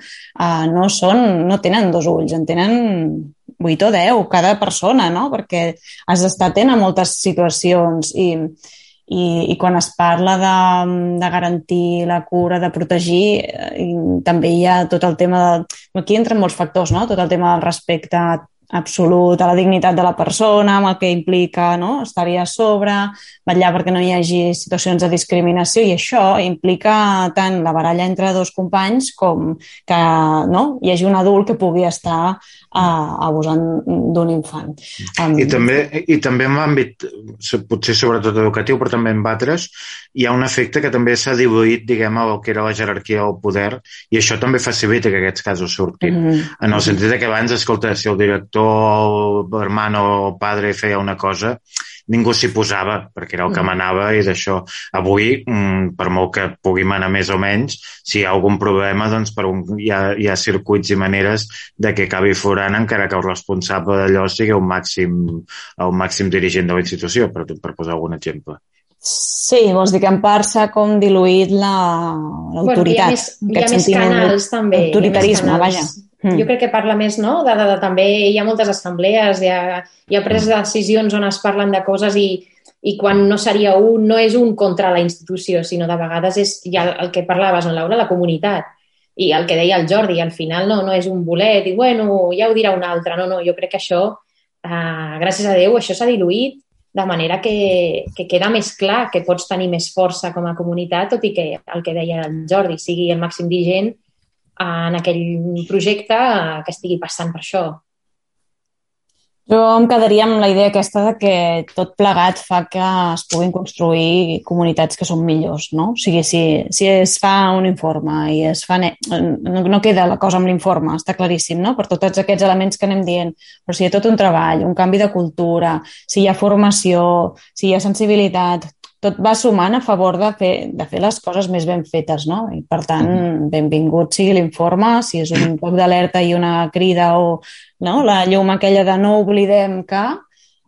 No tenen dos ulls, en tenen 8 o 10, cada persona, no? Perquè has d'estar atent a moltes situacions i quan es parla de garantir la cura, de protegir, també hi ha tot el tema aquí entren molts factors, no? Tot el tema del respecte absolut a la dignitat de la persona, amb el que implica, no? Estar-hi a sobre, vetllar perquè no hi hagi situacions de discriminació, i això implica tant la baralla entre dos companys com que hi hagi un adult que pugui estar abusant d'un infant. I també en l'àmbit, potser sobretot educatiu, però també en altres, hi ha un efecte que també s'ha diluït, diguem, el que era la jerarquia del poder, i això també facilita que aquests casos surtin. En el sentit que abans, escolta, si el director, l'hermano o el padre feia una cosa, ningú s'hi posava, perquè era el que manava, i d'això avui, per molt que pugui manar més o menys, si hi ha algun problema, doncs hi ha circuits i maneres de que acabi forant, encara que el responsable d'allò sigui el màxim dirigent de la institució, per posar algun exemple. Sí, vols dir que en part s'ha com diluït l'autoritat. Hi ha més canals, també. Autoritarisme, vaja. Jo crec que parla més, no? També hi ha moltes assemblees, hi ha pres de decisions on es parlen de coses i quan no seria no és un contra la institució, sinó de vegades és ja el que parlaves, no, Laura, la comunitat. I el que deia el Jordi, al final no és un bolet i, bueno, ja ho dirà un altre. No, jo crec que això, gràcies a Déu, això s'ha diluït de manera que queda més clar que pots tenir més força com a comunitat, tot i que el que deia el Jordi sigui el màxim dirigent en aquell projecte que estigui passant per això. Jo em quedaria amb la idea aquesta de que tot plegat fa que es puguin construir comunitats que són millors, no? O sigui, si es fa un informe i es fa... No queda la cosa amb l'informe, està claríssim, no? Per tots aquests elements que anem dient. Però si hi ha tot un treball, un canvi de cultura, si hi ha formació, si hi ha sensibilitat, tot va sumant a favor de fer les coses més ben fetes, no? I, per tant, benvingut sigui l'informe, si és un toc d'alerta i una crida o la llum aquella de no oblidem que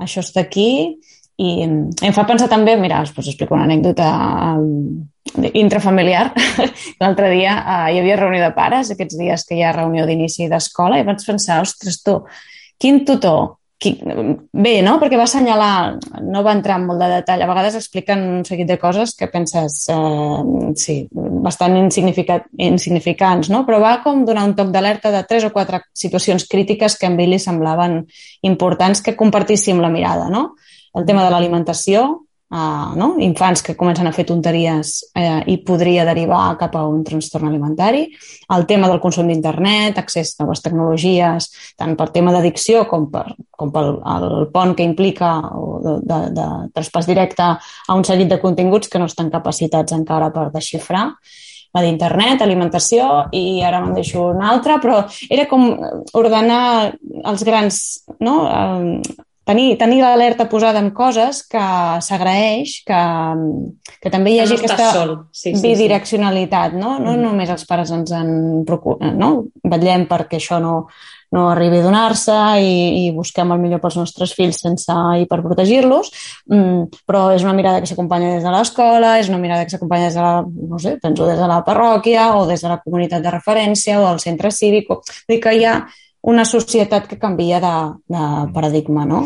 això està aquí. I em fa pensar també, mira, us explico una anècdota intrafamiliar. L'altre dia hi havia reunió de pares, aquests dies que hi ha reunió d'inici d'escola, i vaig pensar, ostres, tu, quin tutor... Bé, no? Perquè va assenyalar, no va entrar en molt de detall, a vegades expliquen un seguit de coses que penses, sí, bastant insignificants, no? Però va com donar un toc d'alerta de 3 o 4 situacions crítiques que a ell li semblaven importants que compartíssim la mirada, no? El tema de l'alimentació, no? Infants que comencen a fer tonteries i podria derivar cap a un trastorn alimentari, el tema del consum d'internet, accés a noves tecnologies, tant per tema d'addicció com pel pont que implica de traspàs directe a un seguit de continguts que no estan capacitats encara per desxifrar, la d'internet, alimentació, i ara me'n deixo una altra, però era com ordenar els grans... no? Tenir l'alerta posada en coses que s'agraeix, que també hi hagi aquesta bidireccionalitat, no? No només els pares ens en preocupen, no? Vetllem perquè això no arribi a donar-se i busquem el millor pels nostres fills sense hiperprotegir-los, però és una mirada que s'acompanya des de l'escola, és una mirada que s'acompanya des de la, no sé, penso des de la parròquia o des de la comunitat de referència o del centre cívic. Vull dir que hi ha una societat que canvia de paradigma, no?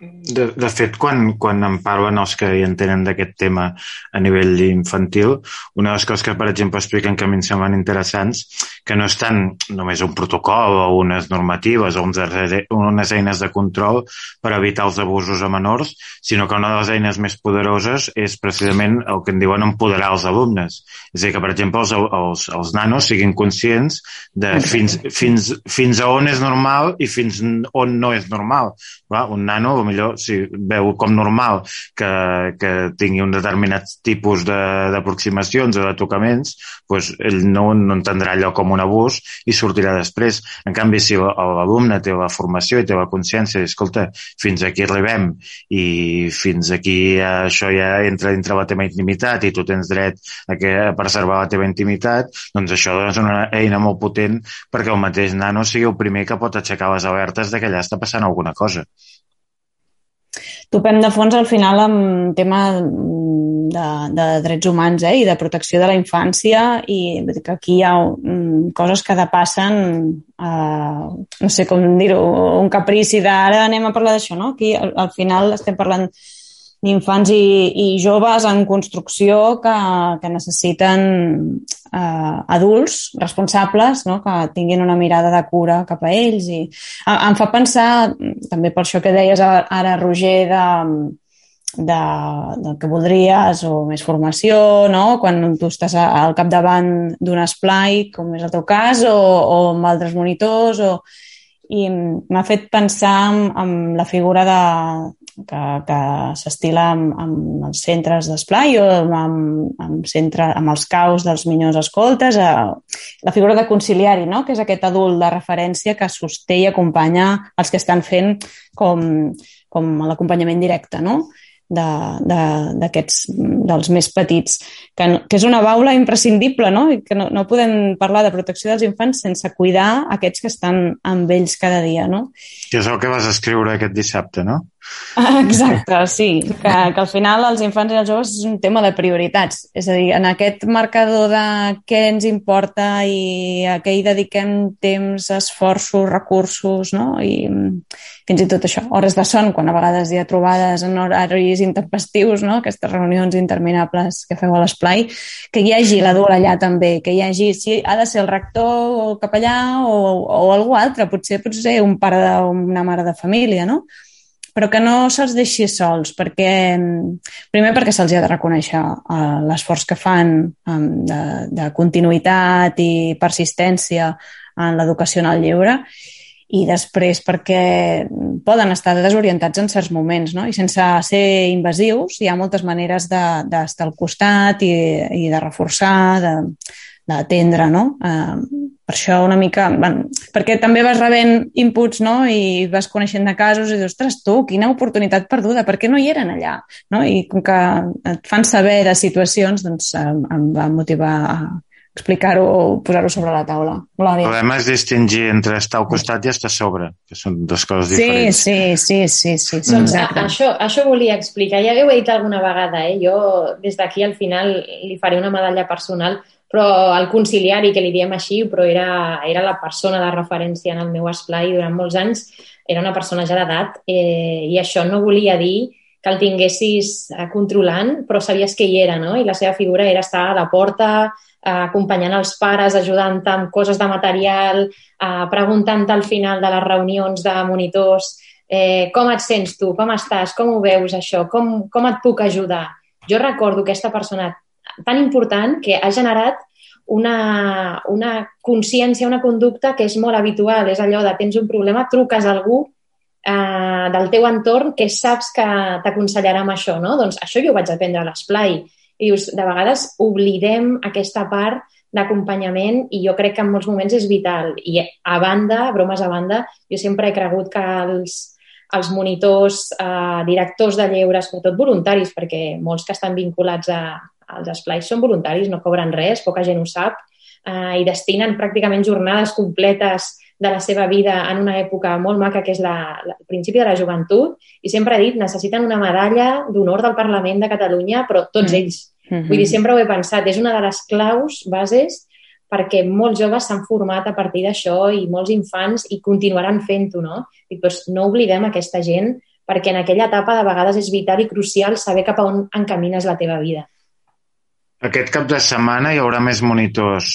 De fet, quan em parlen els que hi entenen d'aquest tema a nivell infantil, una de les coses que, per exemple, expliquen que a mi em semblen interessants, que no és tant només un protocol o unes normatives o unes eines de control per evitar els abusos a menors, sinó que una de les eines més poderoses és precisament el que en diuen empoderar els alumnes. És a dir, que, per exemple, els nanos siguin conscients de fins a on és normal i fins on no és normal. Un nano, millor, si veu com normal que tingui un determinat tipus d'aproximacions o de tocaments, doncs ell no entendrà allò com un abús i sortirà després. En canvi, si l'alumne té la formació i té la consciència, escolta, fins aquí arribem i fins aquí això ja entra dintre la teva intimitat i tu tens dret a preservar la teva intimitat, doncs això és una eina molt potent perquè el mateix nano sigui el primer que pot aixecar les alertes de que allà està passant alguna cosa. Topem de fons al final amb tema de drets humans i de protecció de la infància, i que aquí hi ha coses que depassen, no sé com dir-ho, un caprici d'ara anem a parlar d'això, no? Aquí al final estem parlant d'infants i joves en construcció que necessiten adults responsables, no? Que tinguin una mirada de cura cap a ells. I em fa pensar, també per això que deies ara, Roger, del que voldries, o més formació, no? Quan tu estàs al capdavant d'un esplai, com és el teu cas, o amb altres monitors, i m'ha fet pensar en la figura que s'estila amb els centres d'esplai o amb els caus dels millors escoltes, la figura de conciliari, no? Que és aquest adult de referència que sosté i acompanya els que estan fent com l'acompanyament directe, no? Dels més petits, que és una baula imprescindible, no? I que no podem parlar de protecció dels infants sense cuidar aquests que estan amb ells cada dia, no? Que és el que vas escriure aquest dissabte, no? Exacte, sí, que al final els infants i els joves és un tema de prioritats, és a dir, en aquest marcador de què ens importa i a què hi dediquem temps, esforços, recursos, no? I fins i tot això, hores de son, quan a vegades hi ha trobades en horaris intempestius, no? Aquestes reunions interminables que feu a l'esplai, que hi hagi l'adult allà també, que hi hagi, si ha de ser el rector o el capellà o algú altre, potser un pare o una mare de família, no? Però que no se'ls deixi sols, primer perquè se'ls ha de reconèixer l'esforç que fan de continuïtat i persistència en l'educació en el lleure, i després perquè poden estar desorientats en certs moments, no? I sense ser invasius hi ha moltes maneres d'estar al costat i de reforçar, d'atendre, no? Per això una mica... Bueno, perquè també vas rebent inputs, no? I vas coneixent de casos i dius, ostres, tu, quina oportunitat perduda, per què no hi eren allà? No? I com que et fan saber de situacions, doncs em va motivar a explicar-ho o posar-ho sobre la taula. Glòria. El problema és distingir entre estar al costat i estar a sobre, que són dues coses diferents. Sí. Doncs això volia explicar. Ja ho he dit alguna vegada, Jo des d'aquí al final li faré una medalla personal, però el conciliari, que li diem així, però era la persona de referència en el meu esplai durant molts anys, era una persona ja d'edat, i això no volia dir que el tinguessis controlant, però sabies que hi era, no? I la seva figura era estar a la porta, acompanyant els pares, ajudant-te amb coses de material, preguntant-te al final de les reunions de monitors com et sents tu, com estàs, com ho veus això, com et puc ajudar. Jo recordo aquesta persona tan important que ha generat una consciència, una conducta que és molt habitual. És allò de tens un problema, truques a algú del teu entorn que saps que t'aconsellarà amb això, no? Doncs això jo ho vaig aprendre a l'esplai. I dius, de vegades oblidem aquesta part d'acompanyament i jo crec que en molts moments és vital. I a banda, bromes a banda, jo sempre he cregut que els monitors, directors de lleure, sobretot voluntaris, perquè molts que estan vinculats als esplais són voluntaris, no cobren res, poca gent ho sap, i destinen pràcticament jornades completes de la seva vida en una època molt maca que és el principi de la joventut, i sempre he dit, necessiten una medalla d'honor del Parlament de Catalunya, però tots ells. Vull dir, sempre ho he pensat, és una de les claus bases perquè molts joves s'han format a partir d'això i molts infants i continuaran fent-ho, no? I doncs no oblidem aquesta gent perquè en aquella etapa de vegades és vital i crucial saber cap a on encamines la teva vida. Aquest cap de setmana hi haurà més monitors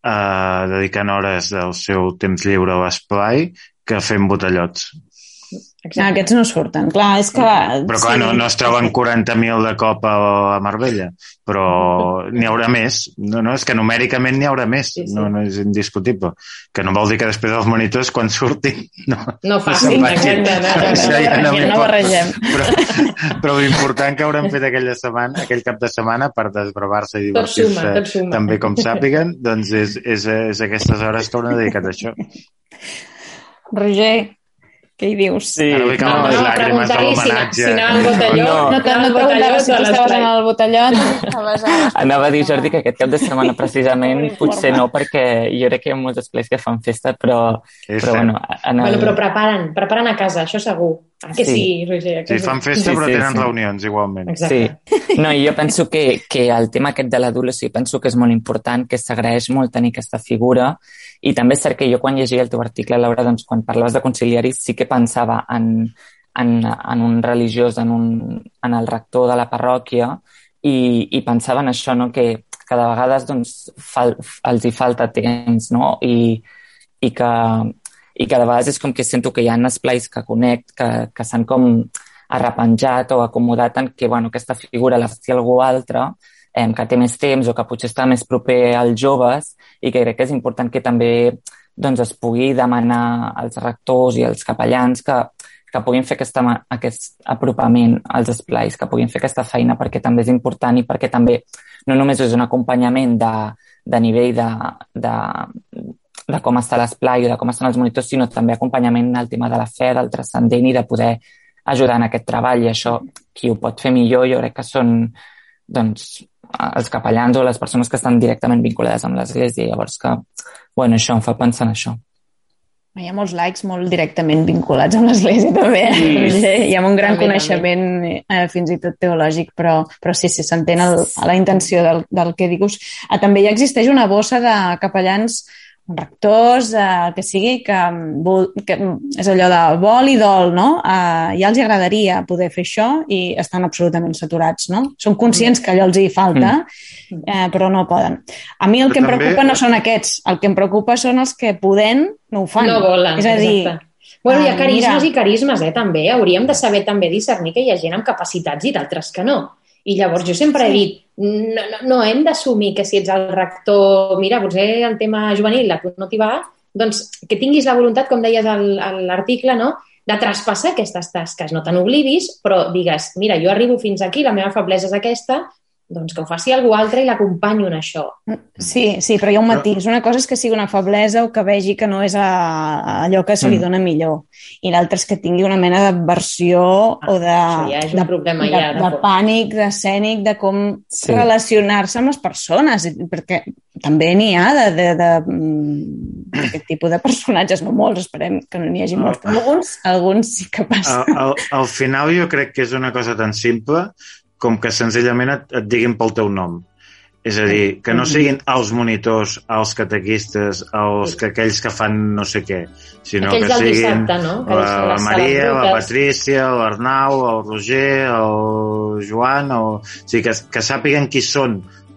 dedicant hores del seu temps lliure a l'esplai que fent botellots. Aquests no surten. Clar, és que... Però clar, no es troben 40.000 de cop a Marbella, però n'hi haurà més. No, és que numèricament n'hi haurà més, no és indiscutible. Que no vol dir que després dels monitors, quan surtin, no facin. No barregem. Però l'important que hauran fet aquell cap de setmana per desbravar-se i divertir-se també com sàpiguen, doncs és aquestes hores que hauran dedicat a això. Roger, què hi dius? Sí, ara vull caure les llàgrimes de l'homenatge. Si anava al botelló. No et preguntava si tu estaves en el botellot. Anava a dir, Jordi, que aquest cap de setmana precisament potser no, perquè jo crec que hi ha molts esplais que fan festa, però bueno... Però preparen a casa, això segur. Que sí, Roger? Sí, fan festa però tenen reunions igualment. Exacte. Sí. No, i jo penso que el tema aquest de l'adult, penso que és molt important, que s'agraeix molt tenir aquesta figura. I també és cert que jo quan llegia el teu article, Laura, doncs quan parlaves de conciliaris sí que pensava en un religiós, en el rector de la parròquia i pensava en això, no? que de vegades doncs, els hi falta temps, no? I que de vegades és com que sento que hi ha esplais que conec, que s'han com arrepenjat o acomodat en que aquesta figura la faci algú altre, que té més temps o que potser està més proper als joves i que crec que és important que també doncs, es pugui demanar als rectors i als capellans que puguin fer aquest apropament als esplais, que puguin fer aquesta feina perquè també és important i perquè també no només és un acompanyament de nivell de com està l'esplai o de com estan els monitors, sinó també acompanyament al tema de la fe, del transcendent i de poder ajudar en aquest treball. I això, qui ho pot fer millor, jo crec que són doncs, els capellans o les persones que estan directament vinculades amb l'Església. Llavors que, això em fa pensar en això. Hi ha molts laics molt directament vinculats amb l'Església també. Hi ha un gran coneixement fins i tot teològic, però sí, s'entén la intenció del que dius. També ja existeix una bossa de capellans rectors, que sigui, que és allò de vol i dol, no? Ja els agradaria poder fer això i estan absolutament saturats, no? Són conscients que allò els hi falta, però no poden. A mi el que em preocupa no són aquests, el que em preocupa són els que podent no ho fan. No volen, és a dir, hi ha carismes i carismes, també. Hauríem de saber també discernir que hi ha gent amb capacitats i d'altres que no. I llavors jo sempre he dit, no hem d'assumir que si ets el rector, mira, potser el tema juvenil a tu no t'hi va doncs, que tinguis la voluntat, com deies a l'article, no?, de traspassar aquestes tasques. No te n'oblidis, però digues, mira, jo arribo fins aquí, la meva feblesa és aquesta, doncs que ho faci algú altre i l'acompanyo en això. Sí, però hi ha un matís. Una cosa és que sigui una feblesa o que vegi que no és allò que se li dona millor. I l'altra és que tingui una mena d'aversió o de... Això ja és un problema de pànic, d'escènic, de com relacionar-se amb les persones, perquè també n'hi ha d'aquest tipus de personatges, no molts, esperem que no n'hi hagi molts, però alguns sí que passa. Al final jo crec que és una cosa tan simple com que senzillament et diguin pel teu nom. És a dir, que no siguin els monitors, els catequistes, aquells que fan no sé què, sinó aquells que siguin dissabte, no? la Maria, la Patrícia, l'Arnau, el Roger, el Joan, o sigui, que sàpiguen qui són i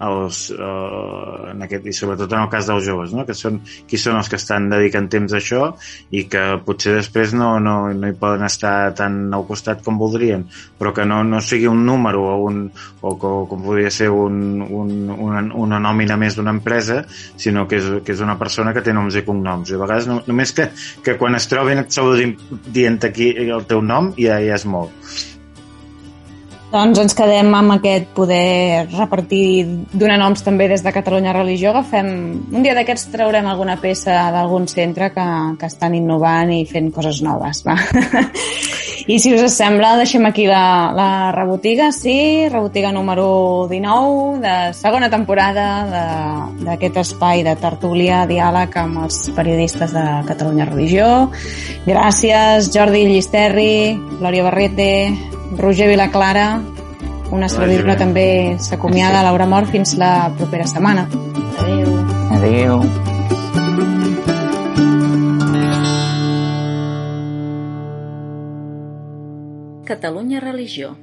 sobretot en el cas dels joves, no? Qui són els que estan dedicant temps a això i que potser després no hi poden estar tan al costat com voldrien, però que no sigui un número o com podria ser una nòmina més d'una empresa, sinó que és una persona que té noms i cognoms. I a vegades només que quan es trobin et saludin dient aquí el teu nom ja és molt. Doncs ens quedem amb aquest poder repartir, donar noms també des de Catalunya Religió. Un dia d'aquests traurem alguna peça d'algun centre que estan innovant i fent coses noves. Va? I si us sembla, deixem aquí la rebotiga, sí, rebotiga número 19 de segona temporada d'aquest espai de tertúlia, diàleg amb els periodistes de Catalunya Religió. Gràcies, Jordi Llisterri, Glòria Barrete, Roger Vilaclara, una servidora també s'acomiada, Laura Mort, fins la propera setmana. Adéu. Adéu. Catalunya Religió.